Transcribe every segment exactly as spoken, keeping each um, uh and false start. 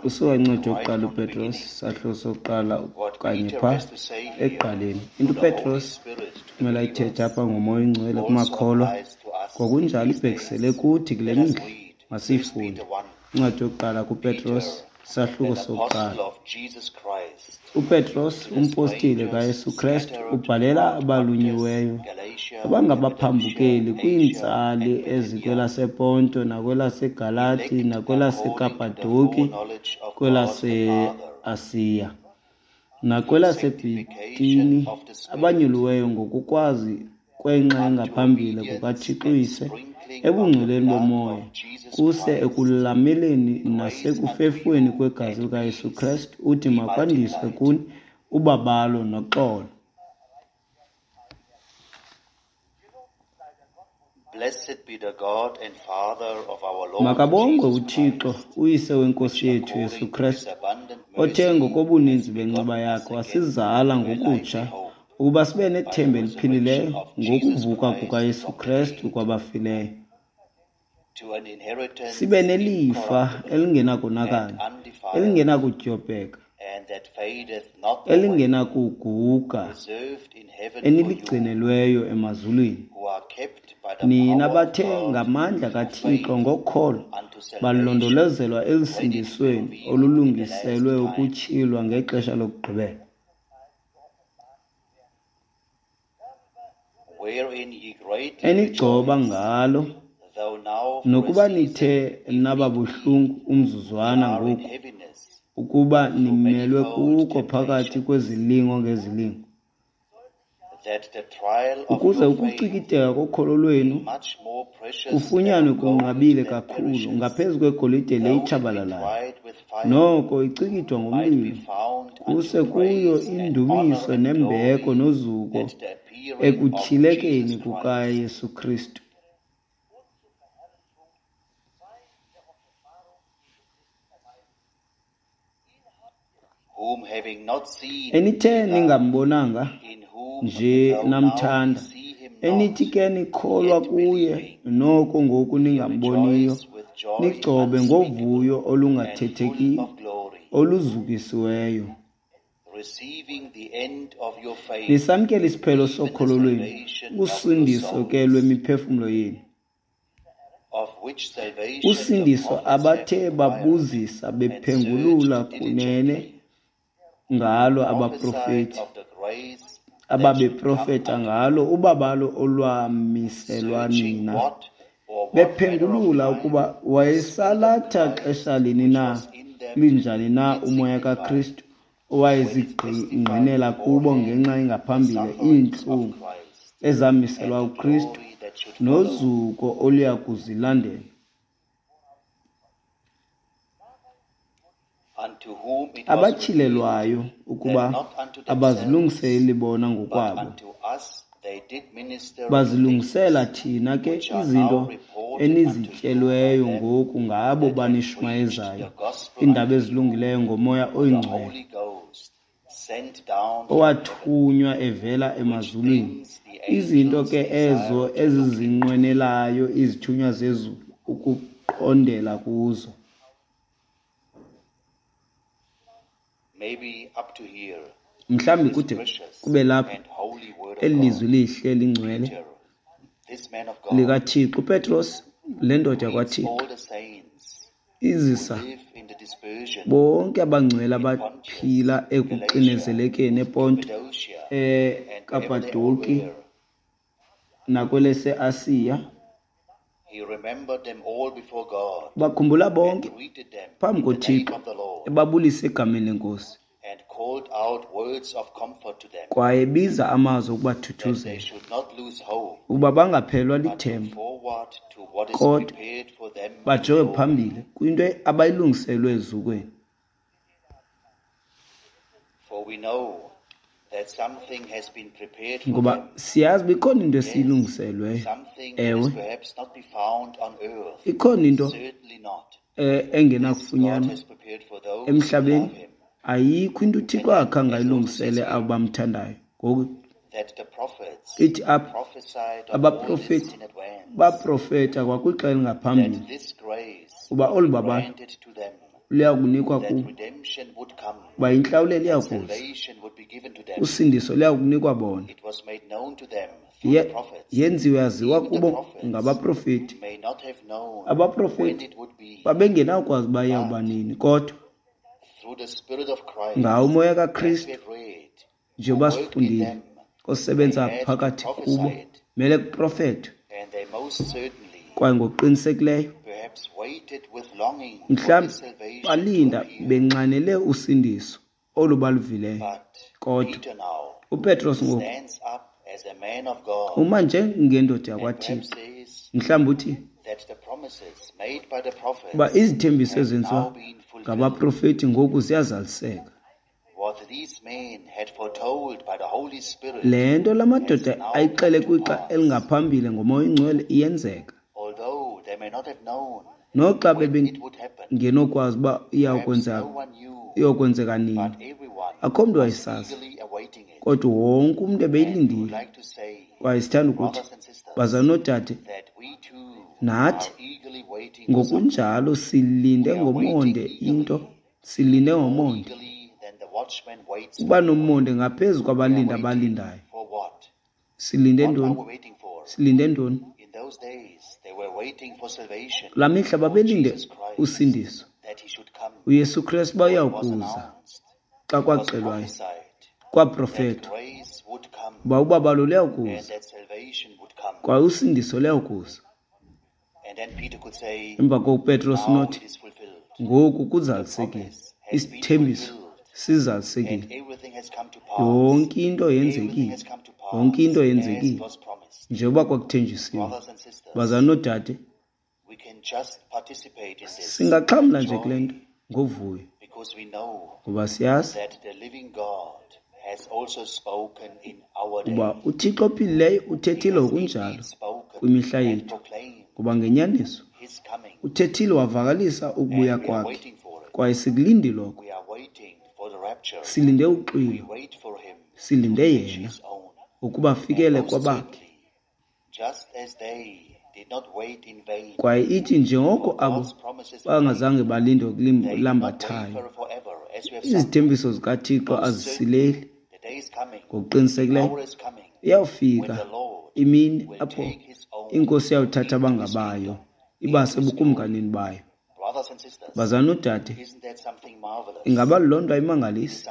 Usuka incwadi yokuqala uPetros, sahluko sokuqala kanye pha ekuqaleni. Into uPetros kumele ayithethe apha ngoMoya oyiNgcwele kumakholwa, ngokunjalo ibhekisele kuthi kule mihla. Masiyifunde. Incwadi yokuqala kuPetros, sahluko sokuqala. UPetros, umpostile kaYesu Krestu, ubhalela abalunyiweyo abangabaphambukeli kwiintsali ezikwelasePonto nakwelaseGalati nakwelaseKapadoki, kwelaseAsiya nakwelaseBhitini, abanyuliweyo ngokukwazi kwenxa engaphambili kukaThixo uYise, ebungcweleni bomoya, kuse ekulameleni nasekufefweni kwegazi likaYesu Krestu, uthi makwandiswe kuni ubabalo noxolo. Makabongwe uThixo, uYise weNkosi yethu Yesu Krestu, othe ngokobuninzi benceba yakhe wasizala ngokutsha ukuba sibe nethemba eliphilileyo ngokuvuka kukaYesu Krestu kwabafileyo, sibe nelifa elingenakonakala, elingenakudyobheka, elingenakuguga, eniligcinelweyo emazulwini, nina bathe ngamandla kaThixo ngokholo balondolozelwa elusindisweni olulungiselwe ukutyhilwa ngexesha lokugqibela. Enigcoba ngalo, nokuba nithe naba buhlungu umzuzwana ngoku, ukuba nimelwe kuko phakathi kwezilingo ngezilingo, ukuze ukucikideka kokholo lwenu kufunyanwe kunqabile kakhulu ngaphezu kwegolide le itshabalalayo, noko icikidwa ngomlilo, kuse kuyo indumiso nembeko nozuko ekutyhilekeni kukaYesu Krestu. Enithe ningambonanga nje namthanda, enithi ke nikholwa kuye, noko ngoku ningamboniyo, nigcobe ngovuyo olungathethekiyo oluzukisiweyo, nisamkele isiphelo sokholo lwenu, usindiso ke lwemiphefumlo yenu. Usindiso abathe babuzisa bephengulula kunene ngalo abaprofeti, ababeprofeta ngalo ubabalo olwamiselwa nina, bephengulula ukuba wayesalatha xesha lini na, linjani na uMoya kaKristu owayezingqinela kubo ngenxa engaphambili iintlungu ezamiselwa uKristu nozuko oluya kuzilandela. Abatyhilelwayo ukuba abazilungiseleli bona ngokwabo, bazilungisela thina ke izinto enizityelweyo ngoku ngabo banishumayezayo iindaba ezilungileyo ngoMoya oyiNgcwele, owathunywa evela emazulwini, izinto ke ezo ezizinqwenelayo izithunywa zezulu ukuqondela kuzo. Mhlawumbi kude kube lapha eli lizwi lihle lingcwele likaThixo. UPetros, le ndoda yakwaThixo, izisa bonke abangcwele abaphila ekuxinezelekeni ePonto, eKapadoki nakwelaseAsiya. Bakhumbula bonke phambi koThixo, ebabulisa egameni leNkosi, kwaye biza amazwi okubathuthuzela ukuba bangaphelelwa lithemba, kodwa bajonge phambili kwinto abayilungiselwe ezukweni. Ngoba siyazi uba ikhona into esiyilungiselweyo. Ewe, ikhona into engenakufunyanwa emhlabeni. Ayikho into uThixo akhe angayilungisele abo bamthandayo. Ngoku Ithi apha abaprofeti baprofeta kwakwixa elingaphambili uba olu babalo luya kunikwa kubo, uba intlawulelo iya kuza, usindiso luya kunikwa bona. Yenziwe yaziwa kubo ngabaprofeti. Abaprofeti babengenakwazi uba iyawuba nini, kodwa ngawo uMoya kaKristu, njengoba sifundile, osebenza phakathi kubo, mele kuprofethwe. Kwaye ngokuqinisekileyo mhlawumbi balinda benxanele usindiso olu baluvileyo. Kodwa uPetros ngoku uma njengendoda yakwaThixo, mhlawumbi uthi uba izithembiso ezenziwa ngabaprofeti ngoku ziyazaliseka. Le nto la madoda ayixele kwixa elingaphambili ngoMoya oyiNgcwele iyenzeka. Noxa bebengenokwazi uba iyokwenzeka nini, akho mntu wayesazi, kodwa wonke umntu ebeyilindile. Kwaye sithanda ukuthi, bazalwane noodade, nathi ngokunjalo silinde ngomonde into, silinde ngomonde. Uba nomonde ngaphezu kwabalindi abalindayo. Silinde ntoni? Silinde ntoni? Laa mihla babelinde usindiso, uYesu Kristu uba uyawukuza. Xa kwaxelwayo, kwaprofethwa uba ubabalo luyawukuza kwaye usindiso luyawukuza. Emva koko uPetros unothi, ngoku kuzalisekile, isithembiso sizalisekile, yonke into yenzekile, yonke into yenzekile njengoba kwakuthenjisiwe. Bazalwane noodade, singaxhamla nje kule nto ngovuyo, ngoba siyazi uba uThixo ophilileyo uthethile ngokunjalo kwimihla yethu, ngoba ngenyaniso uthethile wavakalisa ukubuya kwakhe, kwaye sikulindile oko. Silinde uxwilo, silinde yena ukuba afikele kwabakhe. Kwaye ithi njengoko abo bangazange balinde okulambathayo, izithembiso zikaThixo azisileli. Ngokuqinisekileyo iyawufika imini apho iNkosi iyawuthatha abangabayo ibase ebukumkanini bayo. Bazalwane noodade, ingaba loo nto ayimangalisi?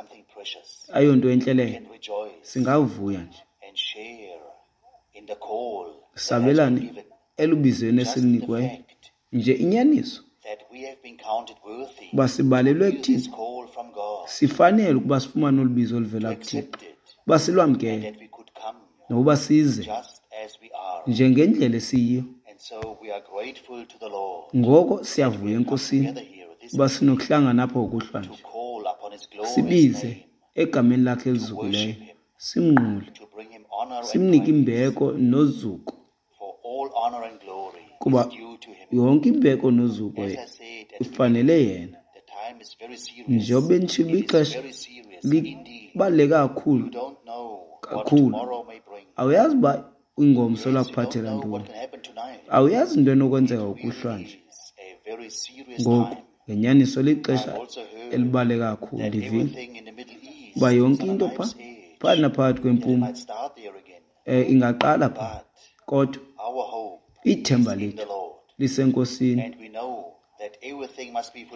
Ayonto entle leyo? Singavuya nje sabelane elubizweni esilinikiweyo, nje inyaniso uba sibalelwe ekuthini sifanele ukuba sifumane olu bizo oluvela kuThixo, uba silwamkele nokuba size njengendlela esiyiyo. Ngoko siyavuya eNkosini uba sinokuhlangana apha ngokuhlwa nje, sibize egameni lakhe elizukileyo, simnqule, simnike imbeko nozuko, kuba yonke imbeko nozuko ifanele yena. Njengoba benditshilo, ixesha libaluleke kakhulu kakhulu. Awuyazi uba ingomso lakuphathela ntoni, awuyazi into enokwenzeka ngokuhlwa nje. Ngoku ngenyaniso lixesha elibaluleke kakhulu. Ndivile uba yonke into phaa phakathi naphakathi kwempuma um ingaqala phaa, kodwa ithemba lethu liseNkosini,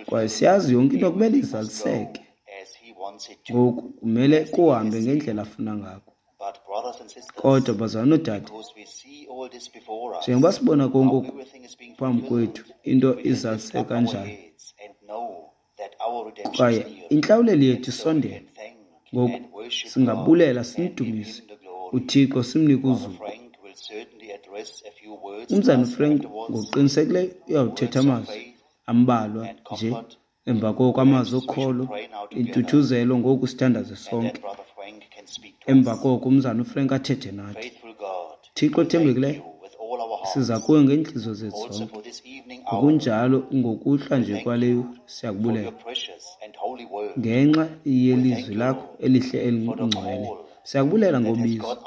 kwaye siyazi yonke into kumele izaliseke. Ngoku kumele kuhambe ngendlela afuna ngako. Kodwa bazalwane noodade, njengoba sibona konke oku phambi kwethu, into izaliseka kanjani, kwaye intlawulelo yethu isondele, ngoku singabulela simdumise uThixo, simnike uzuko. Umzana uFrank ngokuqinisekileyo uyawuthetha amazwi ambalwa nje, emva koko amazwi okholo, intuthuzelo. Ngoku sithandaze sonke, emva koko umzana uFrank athethe nathi. Thixo othembekileyo, siza kuwe ngeentliziyo zethu zonke. Ngokunjalo ngokuhlwa nje kwale yure siyakubulela ngenxa yelizwi lakho elihle elingcwele. Siyakubulela ngobizo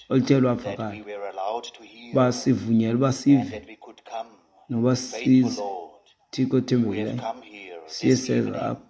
oluthe that lwavakala we were allowed to hear uba sivunyelwe uba and sive that we could come. noba Faithful size. Lord, Thixo we have othembekileyo, come here siye this seza evening apha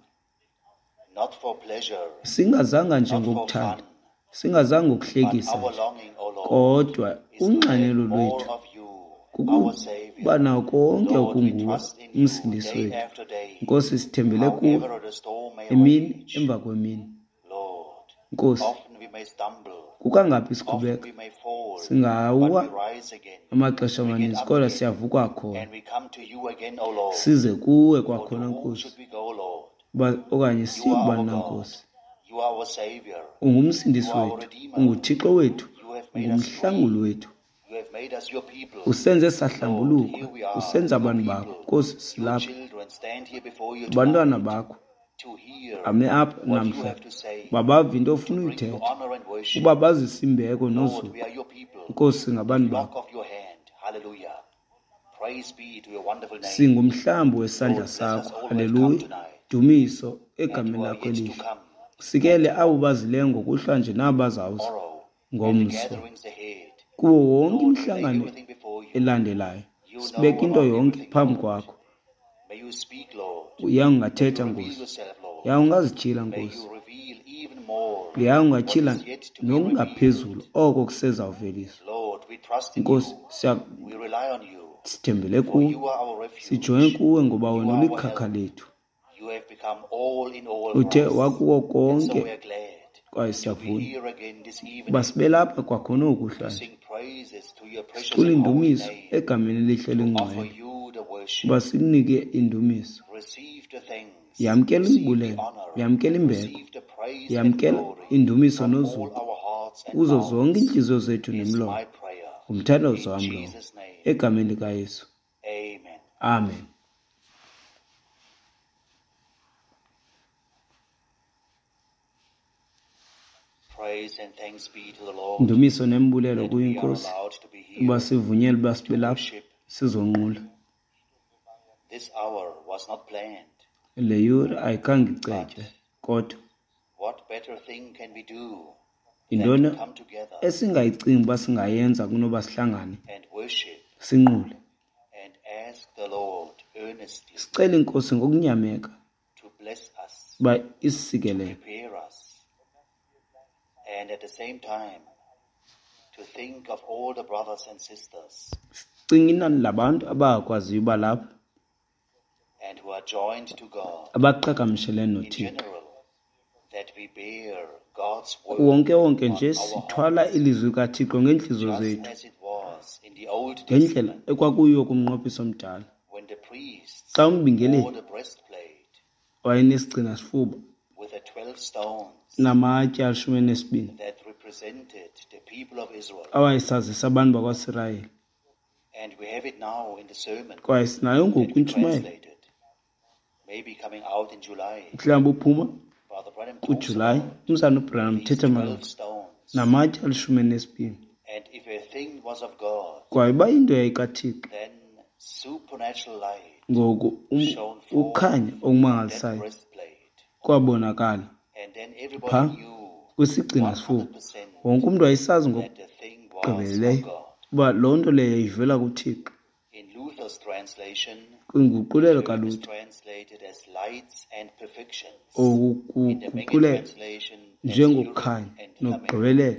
not for pleasure, singazanga nje not for ngokuthanda, fun, singazanga but ngokuhlekisa our nje, longing, O Lord, kodwa is to have unxanelo more lwethu of you, our kukuba Savior. nawo konke Lord, we okunguwe, trust in you uMsindisi day wethu. after day, Nkosi, sithembele kuwe however the storm may imini rage. emva kwemini. Lord, Nkosi, often we may stumble, kukangaphi often sikhubeka, we may fall, but singawa we rise again. amaxesha We get amaninzi, up kodwa again, siyavuka khona and we come to you again, O Lord. size kuwe For to kwakhona, whom Nkosi, should we go, Lord? uba okanye You siye are kubani our na, God. Nkosi. You are our Savior. Ungumsindisi You are our wethu, Redeemer. unguThixo wethu, You have made us ungumhlanguli free. wethu. You have made us your people. Usenze Lord, sahlambuluka, here we are, usenze your abantu bakho. people. Nkosi, Your silapha, children stand here before you abantwana tonight bakho to hear ame apha what you namhla have to say, uba bave into to ofuna bring you uyithetha, honor and worship. uba bazise imbeko Lord, nozuko. we are your people, Nkosi, the singabantu flock bakho, of your hand. Hallelujah. Praise be to your wonderful name. singumhlambi wesandla Lord, bless us sakho. all who have come Haleluya. tonight Dumiso and egameni who are lakho yet to elihle. come Sikele abo bazileyo ngokuhlwa nje nabo bazawuza tomorrow and the ngomso. gatherings ahead. Kuwo wonke Lord, we lay imihlangano everything before you. elandelayo, You know sibeka into about yonke everything, phambi Lord. kwakho. May you speak, Lord. Yaye May you ungathetha, reveal Nkosi, yourself, Lord. yaye ungazityhila, May Nkosi, you reveal even more yaye what ungatyhila is yet to be revealed. nokungaphezulu oko kusezawuveliswa. Lord, we trust in Nkosi, you. siya We rely on you. sithembele For kuwe, you are our sijonge refuge. kuwe ngoba You wena are our ulikhakha help. lethu. You have become all in all for Uthe us. wakuwo And so konke we are glad kwaye to be siyavuya here again this uba evening sibe lapha kwakhona to okuhlanje, sing praises to your precious sicula and holy indumiso name, egameni elihle to offer elingcwele, you the worship. uba sikunike indumiso. Receive the thanks, Yamkela receive the umbulelo, honor, yamkela imbeko, receive the praise and yamkela glory indumiso from all nozuko our hearts and kuzo zonke mouths. iintliziyo zethu Is nemilomo. my prayer. Ngumthandazo In wam lowo, Jesus' name, egameni likaYesu. amen. Amen. Praise and thanks be to the Lord Indumiso nembulelo that kuyo we are iNkosi allowed to be uba here sivunyelwe uba to sibe lapha worship. sizonqula. This hour was not planned, Le yure ayikhange but icetywe, kodwa what better thing can we do than yintoni to come together esingayicingi uba singayenza kunoba sihlangane and worship sinqule, and ask the Lord earnestly sicele iNkosi ngokunyameka to bless us, uba to isisikelele, prepare us, and at the same time to think of all the brothers and sisters sicinge inani labantu abangakwaziyo uba lapha and who are joined to God abaqhagamshelene in noThixo. general, that we bear God's word Kuwonke-wonke on nje our sithwala hearts, ilizwi likaThixo ngeentliziyo just zethu, as it was in the Old ngendlela Testament ekwakuyiyo kumnqophiso omdala. when the priests Xa umbingeleli wore the breastplate wayenesigcina-sifuba with the twelve stones namatye alishumi elinesibini that represented the people of Israel. awayesazisa abantu bakwaSirayeli, And we have it now in the sermon kwaye sinayo that ngoku we kwintshumayelo translated, maybe coming out in July. mhlawumbi uphuma Brother Branham talks kuJulayi. about Umzana uBranham these uthetha twelve malunga stones. namatye alishumi elinesibini, And if a thing was of God, kwaye uba into yayikaThixo, then supernatural light ngoku um- shone forth ukukhanya on that okumangalisayo breastplate. kwabonakala And then everybody pha knew kwisigcina-sifuba. one hundred percent Wonke umntu wayesazi that the thing was of ngokugqibeleleyo God. uba loo nto leyo ivela kuThixo. In Luther's translation, Kwinguqulelo the term is kaLuther, translated as lights and perfections. oku In the Menge kuguqulelwa translation, as Urim njengokukhanya and Thummim. nokugqibelela.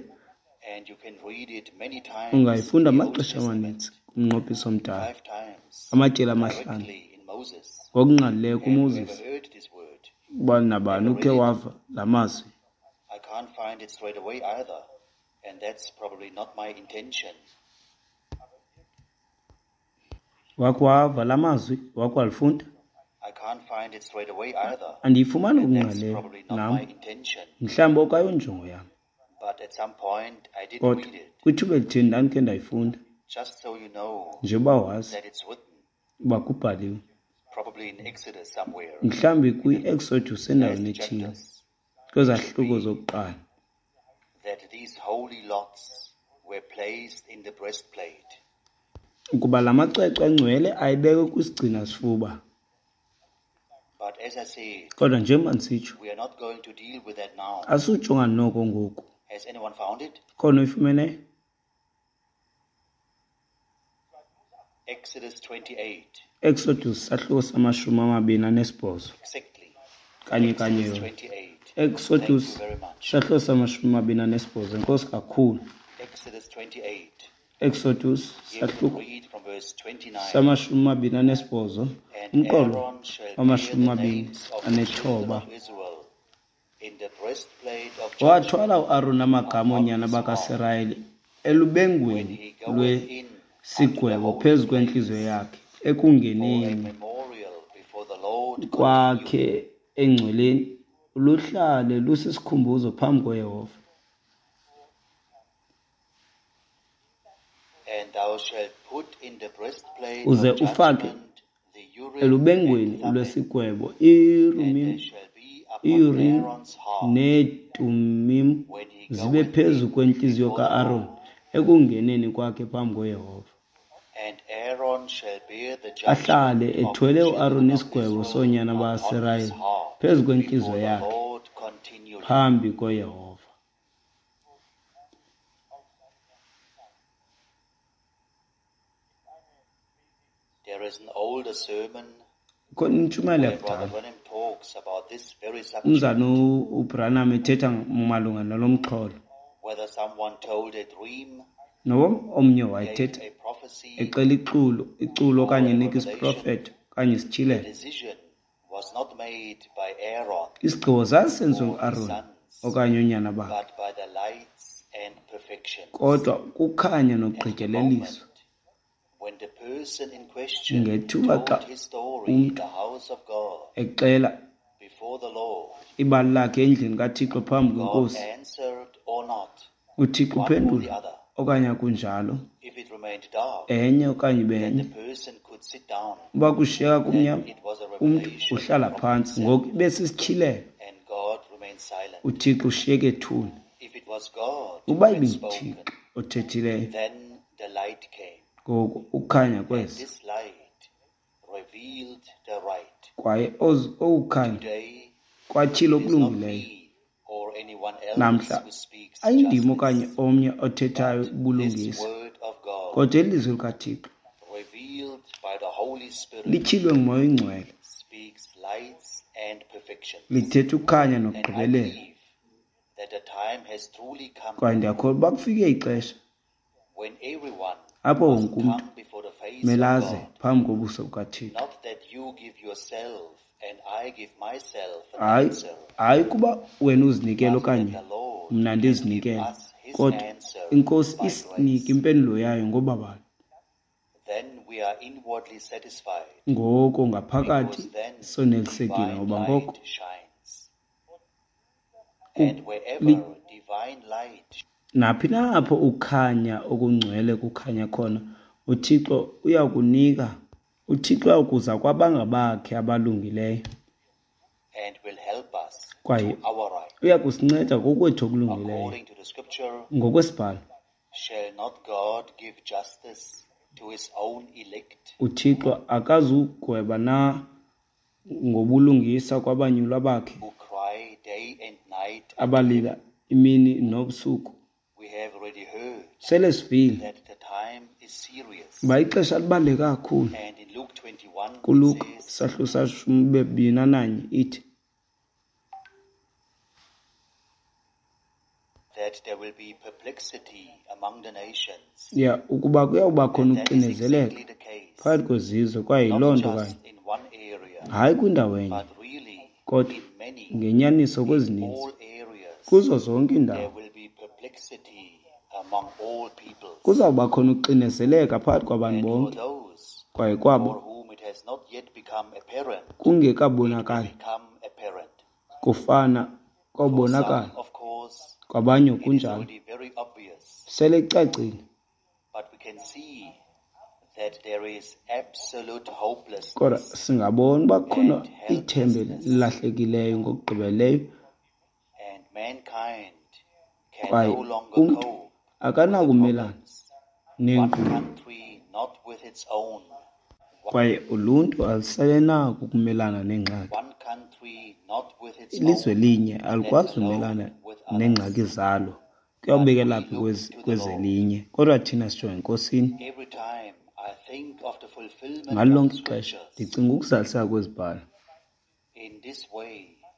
And you can read it many times Ungayifunda in the Old amaxesha Testament, amaninzi kumnqophiso omdala, five times amatyeli amahlanu directly in Moses. ngokungqalileyo Have you kuMoses. ever heard this word? Uba nabani Ever ukhe read it? wava la mazwi. I can't find it straight away either, and that's probably not my intention. Wakhe wava la mazwi, wakhe walifunda? I can't find it straight away either, Andiyifumani and that's ngokungqalileyo probably not nam, my intention. mhlawumbi okayonjongo yam. But at some point I did Kodwa read it, kwithuba elithile ndandikhe ndayifunda, just so you know nje uba wazi that it's written, uba kubhaliwe, probably in Exodus somewhere, mhlawumbi in the kwi-Exodus endaweni first ethile, chapters. It should kwezahluko be zokuqala, that these holy lots were placed in the breastplate. ukuba la macwecwe angcwele ayebekwe kwisigcina-sifuba. But as I said, Kodwa njengoba ndisitsho, we are not going to deal with that now. asizujongana noko ngoku. Has anyone found it? Khona oyifumeneyo? Exodus twenty-eight. Exodus sahluko samashumi amabini anesibhozo. Exactly. Kanye kanye Exodus yona. twenty-eight. Thank Exodus you very much. sahluko samashumi amabini anesibhozo. Enkosi kakhulu. Exodus twenty-eight. Exodus Here we sahluko read from verse twenty-nine. samashumi amabini anesibhozo. And Umqolo Aaron shall bear wamashumi the amabini names of the children anethoba. of Israel in the breastplate of Wathwala judgment uAron amagama upon oonyana his heart, bakaSirayeli when elubengweni he goeth in unto the lwesigwebo holy phezu kwentliziyo place, yakhe, for a ekungeneni memorial before the Lord continually. kwakhe engcweleni, luhlale lusisikhumbuzo phambi koYehova. And thou shalt put in the breastplate Uze of ufake judgment the Urim and elubengweni Thummim, lwesigwebo and iRumim, they shall be upon iUrim Aaron's heart neTumim when he zibe goeth phezu in kwentliziyo before the ka-Aron Lord. ekungeneni kwakhe phambi koYehova. And Aaron shall bear the Ahlale judgment of the ethwele uAron children of isigwebo Israel soonyana upon his bakaSirayeli heart phezu kwentliziyo before the yakhe Lord continually. phambi koYehova. There is an older sermon Khona intshumayelo where Brother yakudala Branham talks about this very subject, umzana uBranham ethetha malunga nalo mxholo. whether someone told a dream, Noba omnye gave wayethetha a prophecy, exela iculo, iculo or okanye a enika revelation. isiprofeto okanye The isityhilelo. decision was not made by Aaron Isigqibo sasenziwe or his nguAron sons, okanye oonyana bakhe, but by the lights and perfections. kodwa kukhanya At the nogqityeleliso. moment when the person in question Ngethuba xa told his story in umntu the house of God exela before the Lord, ibali lakhe endlini kaThixo phambi God kwenkosi, answered or not, uThixo one or the uphendula other. okanye akunjalo, If it remained dark, enye okanye ibe then the enye. person could sit down. Uba kushiyeka Then kumnyama, it was a umntu revelation uhlala from phantsi. himself, Ngoku ibe sisityhilelo, and God remained silent. uThixo ushiyeke ethule. If it was God who Uba had ibinguThixo spoken, othethileyo, then the light came, ngoku ukukhanya and kweza. this light revealed the right. Kwaye oz- okukhanya Today, kwatyhila it is not okulungileyo. me or anyone else Namhla who speaks ayindim okanye justice, omnye othethayo but this ubulungisa, word of God, kodwa ilizwi likaThixo revealed by the Holy Spirit, lityhilwe nguMoya oyiNgcwele, speaks lights and perfections. lithetha ukukhanya And I nokugqibelela. believe that the time has truly come Kwaye ndiyakholwa uba kufike ixesha when everyone apho must wonke umntu come before the face of kumele aze God. phambi kobuso bukaThixo. Not that you give yourself and I give myself an Hayi, answer, hayi kuba wena uzinikele but that okanye the Lord mna can give ndizinikele, us his kodwa answer iNkosi by isinike grace. impendulo yayo ngobabalo. Then we are inwardly satisfied, Ngoko ngaphakathi because then sonelisekile, divine ngoba ngoko light shines. ku- And wherever li- divine light naphi na apho ukhanya okungcwele kukhanya khona, uThixo uyakunika, uThixo uyakuza kwabangabakhe abalungileyo, and will help us kwaye to our right. uyakusinceda kokwethu okulungileyo. According to the scripture, Ngokwesibhalo, shall not God give justice to his own elect? uThixo akazugweba na ngobulungisa kwabanyulwa bakhe who cry day and night unto him? abalila imini nobusuku? We have already heard Sele sivile that the time is serious. uba ixesha libaluleke kakhulu. And in Luke twenty-one, it KuLuka says, sahluko sashumi bebini ananye ithi that there will be perplexity among the nations. ya ukuba kuyawuba khona And that is ukuxinezeleka exactly the case. phakathi kwezizwe, kwaye Not yiloo nto kanye, just in one area, hayi kwindawo enye, but really kodwa in many, ngenyaniso in kwezininzi, all areas, kuzo zonke there iindawo will be perplexity among all peoples. kuzawuba khona ukuxinezeleka phakathi kwabantu And for bonke, those kwaye for kwabo whom it has not yet become apparent, it will kungekabonakali become apparent. kufana For some, kwawubonakala, of course, kwabanye it is kunjalo already very obvious, sele icacile. but we can see that there is absolute Kodwa hopelessness singabona uba kukhona and ithemba helplessness, elilahlekileyo ngokugqibeleleyo, and mankind can kwaye no longer umntu cope with the akanakumelana problems. One neenkqubo, country not with its own, kwaye uluntu aluselenako ukumelana neengxaki. one country not with its Ilizwe own, linye let alikwazi alone umelana with others. neengxaki zalo, But kuyawubekela we phi look kwezi- to the Lord. kwezelinye. Kodwa thina sijonge eNkosini. Every time I Ngalo lonke ixesha ndicinga ukuzaliseka kwezibhalo.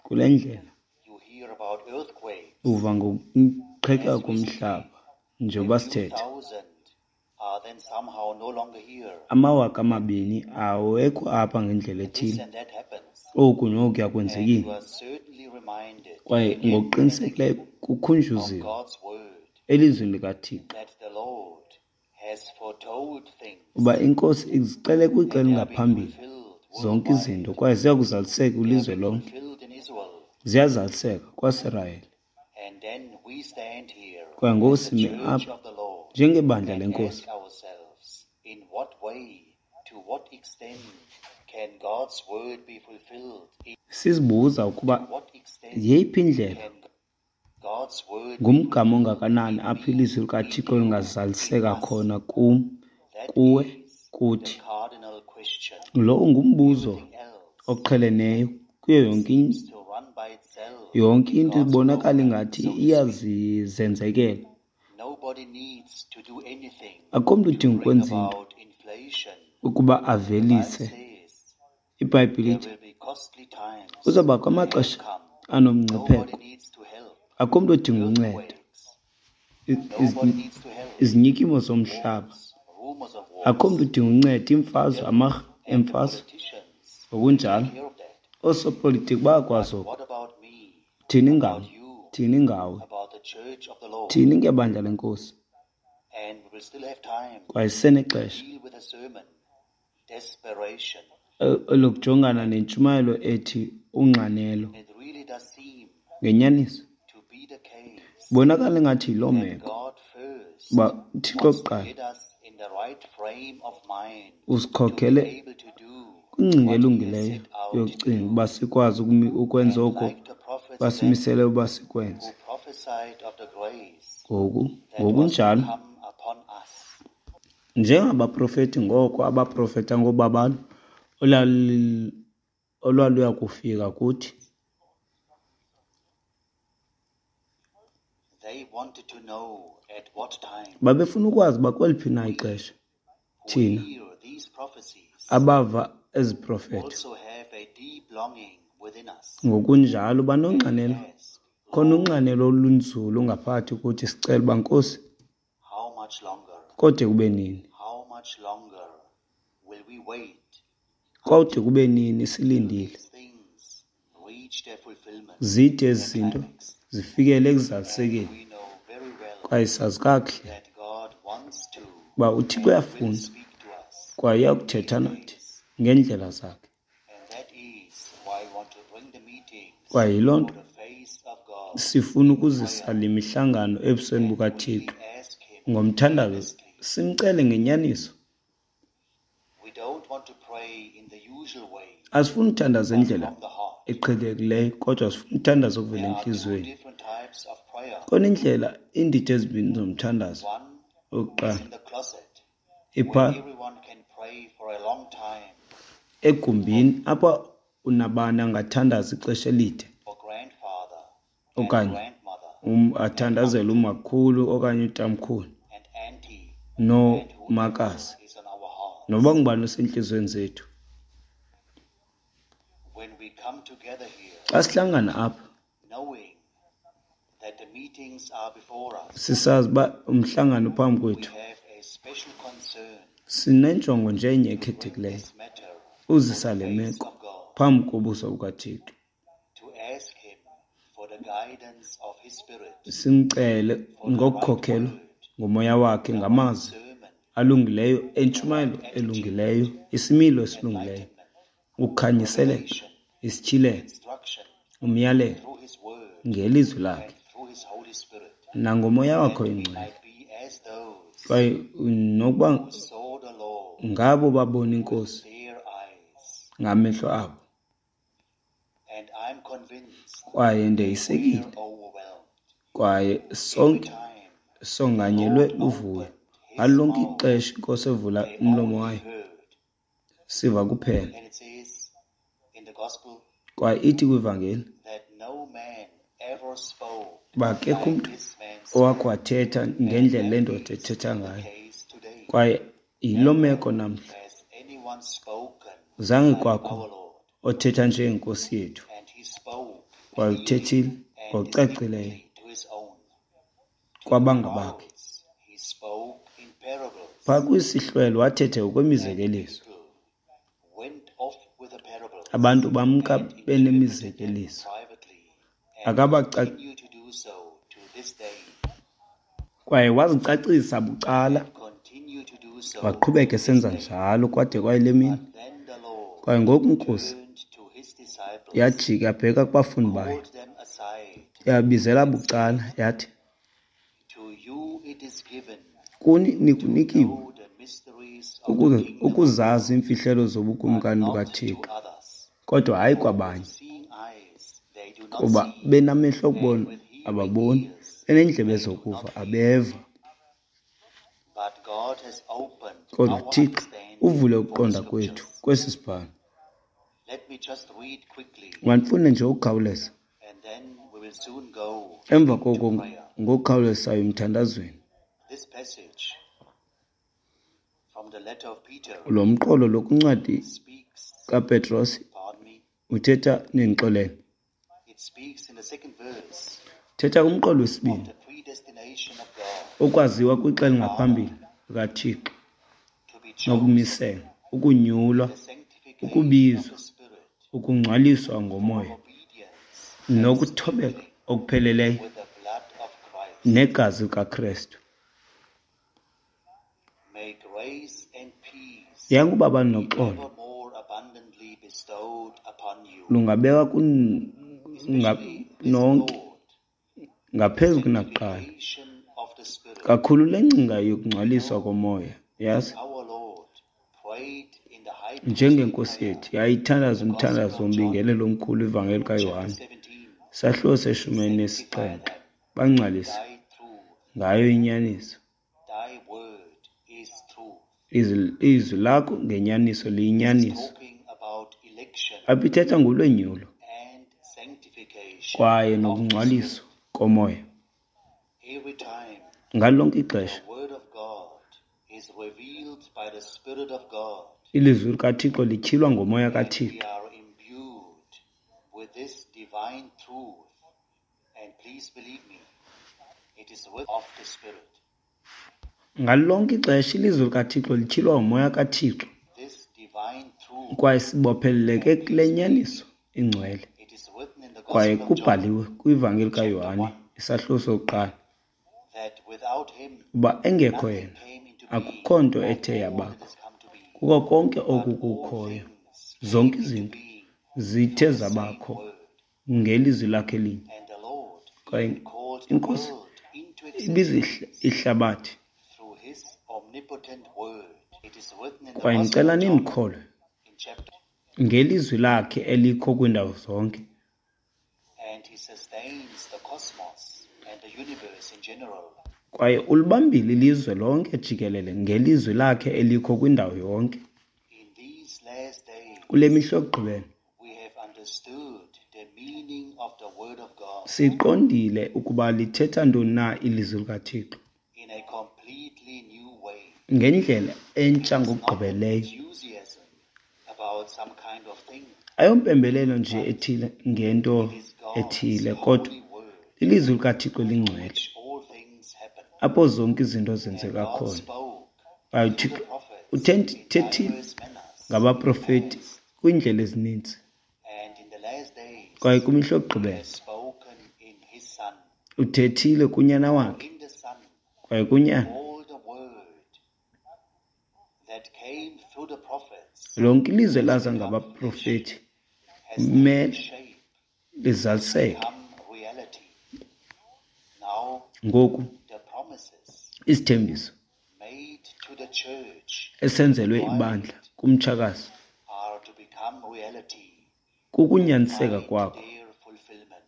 Kule ndlela uva ngokuqhekeka komhlaba njengoba sithetha. Amawaka amabini awekho apha ngendlela ethile. Oku nokuya kwenzekile. Kwaye ngokuqinisekileyo kukhunjuziwe elizwini likaThixo uba iNkosi izixele kwixesha elingaphambili zonke izinto kwaye ziya kuzaliseka kwilizwe lonke. Ziyazaliseka kwaSirayeli. Kwaye ngoku sime apha njengebandla leNkosi. Sizibuza ukuba yeyiphi indlela, ngumgama ongakanani apho ilizwi likaThixo lingazaliseka khona kum, kuwe, kuthi. Lowo ngumbuzo oqheleneyo kuyo yonke yonke into ibonakala ingathi iyazizenzekela. Akukho mntu udinga ukwenza into ukuba avelise. IBhayibhile ithi kuzawubakho amaxesha anomngcipheko. Akukho mntu odinga uncedo. Izinyikimo zomhlaba. Akukho mntu udinga uncedo, iimfazwe, amarhe emfazwe. Ngokunjalo, oosopolitiki bayakwazi oku. Thini ngam? Thini ngawe? Thini ngebandla leNkosi? Kwaye sisenexesha elokujongana nentshumayelo ethi unxanelo. Ngenyaniso, ibonakala ingathi yiloo meko uba uThixo kuqala usikhokhele kwingcinga elungileyo yokucinga uba sikwazi ukwenza oko basimisele uba sikwenze. Ngoku, ngokunjalo, njengabaprofeti ngoko abaprofeta ngobabalo olwaluya kufika kuthi. Babefuna ukwazi uba kweliphi na ixesha thina abava ezi profeto. Ngokunjalo banonxanelo, khona unxanelo olunzulu ngaphakathi kuthi sicela uba Nkosi, kode kube nini? Kode kube nini silindile? Zide ezi zinto zifikele ekuzalisekeni. Kwaye sazi kakuhle uba uThixo uyafuna kwaye uyakuthetha nathi ngeendlela zakhe. Kwaye yiloo nto sifuna ukuzisa le mihlangano ebusweni bukaThixo ngomthandazo, simcele ngenyaniso. Asifuni uthandaza indlela eqhelekileyo, kodwa sifuna uthandaza okuvela entliziyweni. Khona indlela iindidi ezimbini zomthandazo. Okokuqala, ipha egumbini apho unabani angathandaza ixesha elide okanye athandazele umakhulu okanye utamkhulu nomakazi, noba ngubani osentliziyweni zethu. Xa sihlangana apha sisazi uba umhlangano uphambi kwethu, sinenjongo nje enye ekhethekileyo, uzisa le meko phambi kobuso bukaThixo, simcele ngokukhokhelwa ngumoya wakhe ngamazwi alungileyo, entshumayelo elungileyo, isimilo esilungileyo, ukukhanyiseleka, isityhilelo, umyalelo ngelizwi lakhe nangomoya wakhe oyingcwele. Kwaye nokuba ngabo babona iNkosi ngamehlo abo. Kwaye ndeyisekile, kwaye sonke songanyelwe luvuyo. Ngalo lonke ixesha iNkosi evula umlomo wayo, siva kuphela. Kwaye ithi kwivangeli uba akekho umntu owakhe wathetha ngendlela le ndoda ethetha ngayo. Kwaye Yiloo meko namhla. has anyone spoken Zange like kwakho our Lord. othetha njengenkosi yethu. And he spoke Kwaye clearly uthethile and ngokucacileyo distinctly to his own. To the kwabangabakhe. crowds he spoke in parables, Phaa kwisihlwele wathethe and ngokwemizekeliso. people went off with the parables Abantu bamka and interpreted them benemizekeliso. privately and Akabaca continue to do so to this day kwaye wazicacisa bucala and continue to do so waqhubeka to this esenza day. njalo kwade kwayile mini. But then the Lord Kwaye ngoku iNkosi turned to his disciples, yajika yabheka kubafundi bayo, called them aside, yabizela and said, bucala yathi, To you it is given kuni to nikunikiwe know the mysteries of the uku- kingdom of ukuzazi God, iimfihlelo but zobukumkani not to bukaThixo, others. kodwa hayi For with kwabanye, seeing eyes they do not kuba see, benamehlo and okubona with hearing ababoni, ears beneendlebe they do zokuva not hear. abeva. But God has opened Kodwa our Thixo understanding uvule for the ukuqonda kwethu scriptures. kwesi sibhalo. Let me just read quickly, Mandifune nje ukukhawuleza. and then we will soon go Emva into koko prayer. ngokukhawulezayo emthandazweni. This passage from the letter of Peter Lo mqolo lo kwincwadi speaks, kaPetros pardon me, uthetha nendixolele. it speaks in the second verse Thetha kumqolo of wesibini the predestination of God, okwaziwa kwixa Father, elingaphambili likaThixo to be chosen, nokumisela, ukunyulwa, the sanctification of ukubizwa, the Spirit, ukungcwaliswa for ngomoya obedience and nokuthobeka sprinkling okupheleleyo with the blood of Christ. negazi likaKrestu. May grace and peace Yangubaba be noxolo ever more abundantly bestowed upon you, lungabekwa kun nga- especially this nonke thought, the ngaphezu kunakuqala. sanctification of the Spirit. Kakhulu le ngcinga yokungcwaliswa Know komoya, that yazi our Lord prayed in the high priestly njengenkosi prayer yethu yayithandaza in the Gospel umthandazo of John, wombingelelo omkhulu ivangeli chapter kaYohane seventeen, sahluko seshumi sanctify elinesixhenxe them bangcwalise thy truth, ngayo inyaniso. thy word is truth. Izwi izwi lakho ngenyaniso This is liyinyaniso. talking about election Apha ithetha ngolwenyulo and sanctification kwaye of the nokungcwaliswa Spirit. komoya. Every time Ngalo lonke the ixesha word of God is revealed by the Spirit of God, ilizwi likaThixo lityhilwa ngomoya and we kaThixo. are imbued with this divine truth, and please believe me, it is with of the Spirit. Ngalo lonke ixesha ilizwi likaThixo lityhilwa ngumoya kaThixo This divine truth, kwaye sibopheleleke and kule please believe nyaniso me, ingcwele. it is written in the Kwaye Gospel of John, kubhaliwe kwivangeli chapter kaYohane one, isahluko sokuqala that without him uba engekho nothing yena came into akukho being nto of ethe all that yabakho. has come to be, Kuko konke but oku all kukhoyo, things zonke came into izinto being zithe through the same zabakho word. ngelizwi lakhe linye. And the Lord Kwaye even called the iNkosi world into ibiza existence ihlabathi through his omnipotent word. It is written in the kwaye Gospel ndicela of John nindikholwe in chapter, ngelizwi lakhe elikho kwiindawo zonke. and he sustains the cosmos and the universe in general. Kwaye ulibambile ilizwe lonke jikelele ngelizwi lakhe elikho kwindawo yonke. In these last days, Kule mihla yokugqibela we have understood the meaning of the word of God siqondile ukuba lithetha ntoni na ilizwi likaThixo in a completely new way. ngendlela entsha It is not ngokugqibeleleyo. enthusiasm about some kind of thing, Ayompembelelo nje but ethile ngento it is God's ethile kodwa holy word ilizwi likaThixo through lingcwele which all things happen. apho zonke izinto And zenzeka God khona. spoke Kwaye through the uThixo prophets uthethile in diverse manners in the ngabaprofeti past, kwiindlela ezininzi and in the last kwaye days kwimihla he yokugqibela has spoken in his Son. uthethile kunyana For wakhe in the Son, kwaye kunyana all the word that came through the prophets lonke ilizwi has elaza become flesh, ngabaprofeti has taken kumele shape, lizaliseke. become reality. Now Ngoku the promises isithembiso made to the church and the esenzelwe ibandla bride kumtshakazi are to become reality and kukunyaniseka find kwakho their fulfillment.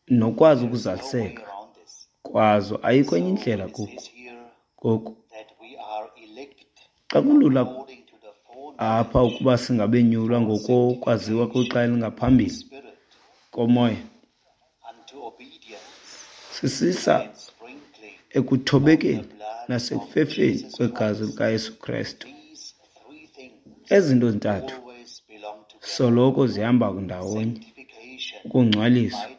nokwazi There is no way ukuzaliseka around this. kwazo ayikho enye So indlela it kuko. says here Ngoku that we are elect xa kulula according to the apha foreknowledge ukuba singabenyulwa for ngokokwaziwa kwixa sanctification of the elingaphambili Spirit komoya unto obedience sisisa and sprinkling of the ekuthobekeni blood nasekufefeni kwegazi likaYesu Krestu. Ezi zinto zintathu soloko zihamba ndawonye, ukungcwaliswa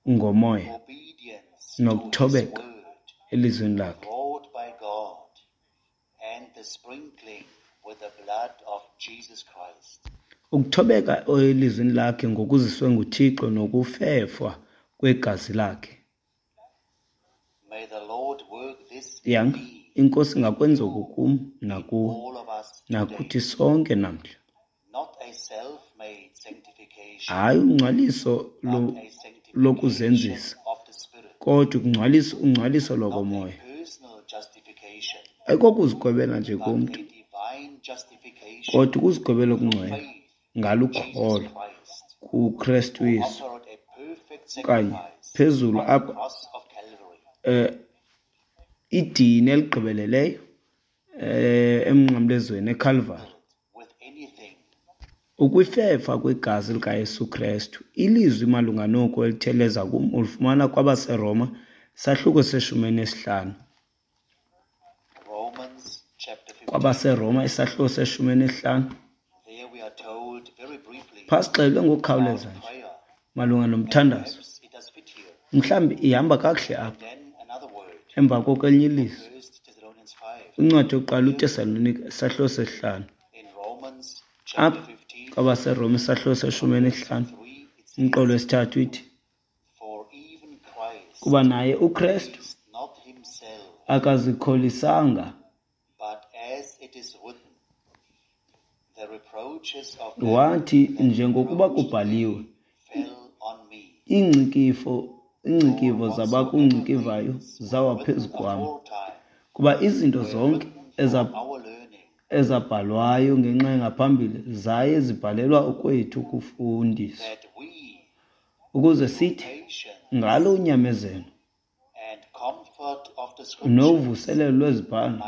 ngomoya nokuthobeka elizwini lakhe. Ukuthobeka elizwini lakhe ngokuziswe nguThixo nokufefwa kwegazi lakhe. Yanga iNkosi ingakwenza oku kum nakuwe nakuthi sonke namhla. Hayi ungcwaliso lokuzenzisa, kodwa ukungcwalisa ungcwaliso lokomoya. Ayikokuzigwebela nje komntu, kodwa ukuzigwebela okungcwele ngalukholo kuKrestu Yesu, okanye phezulu apha eh idini eligqibeleleyo eh emnqamlezweni eCalvary. Ukwifefa kwegazi likaYesu Krestu. Ilizwi malunga noku elithe leza kum ulifumana kwabaseRoma isahluko seshumi enesihlanu. KwabaseRoma isahluko seshumi enesihlanu. Phaa sixelelwe ngokukhawuleza nje malunga nomthandazo. Mhlawumbi ihamba kakuhle apha. Emva koko elinye ilizwi, incwadi yokuqala uTesalonika isahluko sesihlanu. Apha kwabaseRoma isahluko seshumi enesihlanu umqolo wesithathu ithi, kuba naye uKrestu akazikholisanga, wathi njengokuba kubhaliwe, iingcikifo iingcikivo zabakungcikivayo zawa phezu kwam. Kuba izinto zonke ezabhalwayo ngenxa engaphambili zaye zibhalelwa okwethu ukufundiswa, ukuze sithi ngalo unyamezelo novuselelo lwezibhalo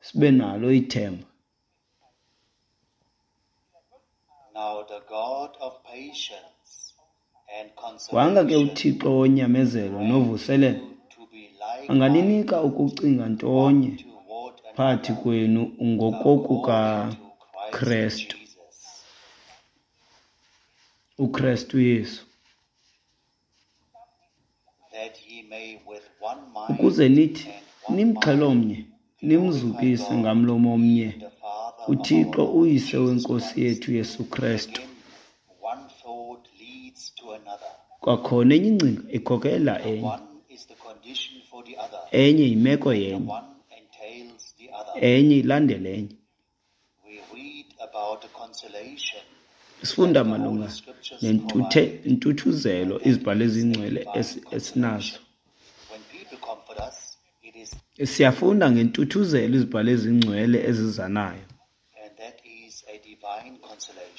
sibe nalo ithemba. Wanga ke uThixo wonyamezelo novuselelo anganinika ukucinga ntonye phakathi kwenu ngokokukaKrestu, uKrestu Yesu, ukuze nithi nimxhelo mnye nimzukise ngamlomo mnye uThixo uYise weNkosi yethu Yesu Krestu. Kwakhona enye ingcinga ikhokela enye, enye yimeko yenye, enye ilandela enye. Sifunda malunga nentuthuzelo izibhalo ezingcwele esinazo. Siyafunda ngentuthuzelo izibhalo ezingcwele ezizanayo,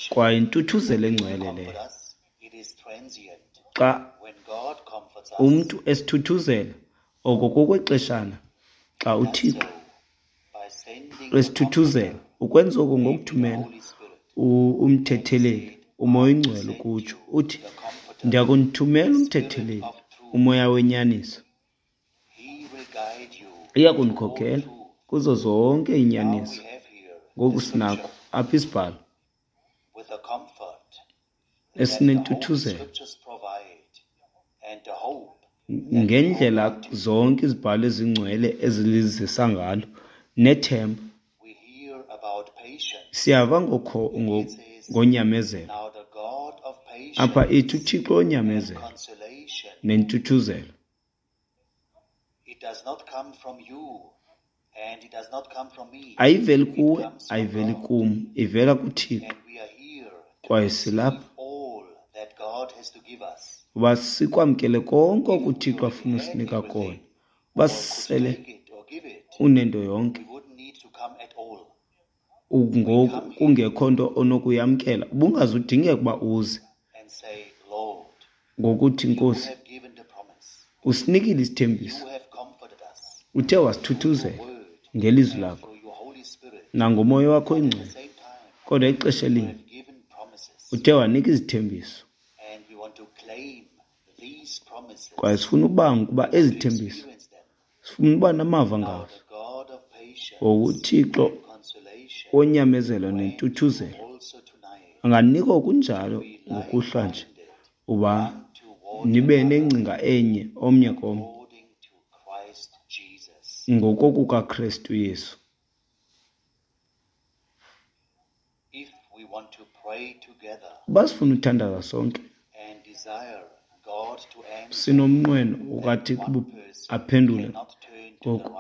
kwaye intuthuzelo engcwele leyo. Xa umntu esithuthuzela, oko kokwexeshana. Xa uThixo esithuthuzela, ukwenza oko ngokuthumela umthetheleli, uMoya oyiNgcwele ukutsho, uthi, ndiyakunithumela umthetheleli, uMoya wenyaniso. Iya kunikhokela kuzo zonke iinyaniso. Ngoku sinakho apha isibhalo esinentuthuzelo ngendlela zonke izibhalo ezingcwele ezilizisa ngalo nethemba. Siyava ngonyamezelo apha, ithi uThixo wonyamezelo nentuthuzelo. Ayiveli kuwe, ayiveli kum, ivela kuThixo. Kwaye silapha uba sikwamkele konke okuThixo afuna usinika kona. Uba sele unento yonke ngoku kungekho nto onokuyamkela, ubungazudingeka uba uze ngokuthi, Nkosi, usinikile isithembiso, uthe wasithuthuzela ngelizwi lakho nangoMoya wakho oyingcwele, kodwa ixesha elinye uthe wanika izithembiso, kwaye sifuna ubanga ukuba ezi zithembiso Sifuna uba namava ngazo. NgokuThixo wonyamezelo nentuthuzelo anganika okunjalo ngokuhlwa nje uba nibe nengcinga enye omnye komnye ngokokukaKristu Yesu. Uba sifuna uthandaza sonke sinomnqweno ukaThixo aphendule ngoku.